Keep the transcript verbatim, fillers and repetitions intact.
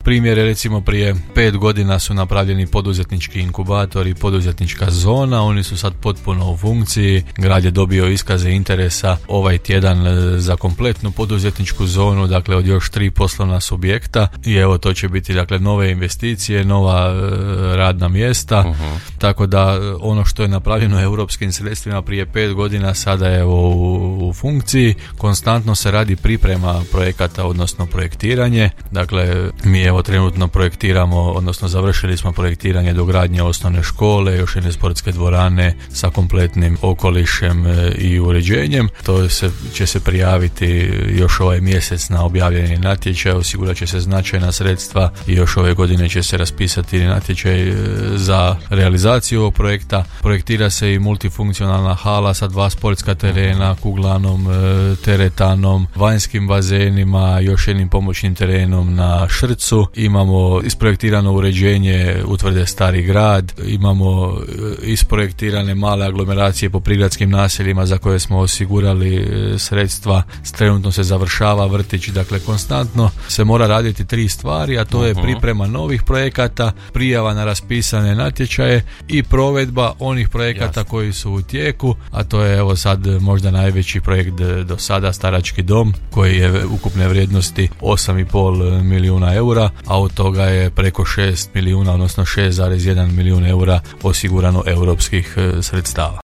primjer je recimo prije pet godina su napravljeni poduzetnički inkubatori, poduzetnička zona, oni su sad potpuno u funkciji, grad je dobio iskaze interesa ovaj tjedan za kompletnu poduzetničku zonu, dakle od još tri poslovna subjekta i evo to će biti dakle nove investicije, nova e, radna mjesta, uh-huh. tako da ono što je napravljeno europskim sredstvima prije pet godina sada je u, u funkciji, konstantno se radi priprema projekata, odnosno projektiranje, dakle mi evo trenutno projektiramo, odnosno završili smo projektiranje dogradnje osnovne škole, još jedne sportske dvorane sa kompletnim okolišem e, i uređenjem, to se, će se prijaviti još ovaj mjesec na objavljeni natječaj, osigurat će se značajna sredstva i još ove godine će se raspisati natječaj za realizaciju ovog projekta. Projektira se i multifunkcionalna hala sa dva sportska terena, kuglanom, teretanom, vanjskim bazenima, još jednim pomoćnim terenom na Šrcu. Imamo isprojektirano uređenje utvrde Stari grad, imamo isprojektirane male aglomeracije po prigradskim naseljima za koje smo osigurali sredstva. Trenutno se završava vrtić, dakle konstantno se mora raditi tri stvari, a to je priprema novih projekata, prijava na raspisane natječaje i provedba onih projekata Jasne. koji su u tijeku, a to je evo sad možda najveći projekt do sada, Starački dom, koji je ukupne vrijednosti osam i pol milijuna eura, a od toga je preko šest milijuna, odnosno šest zarez jedan milijun eura osigurano europskih sredstava.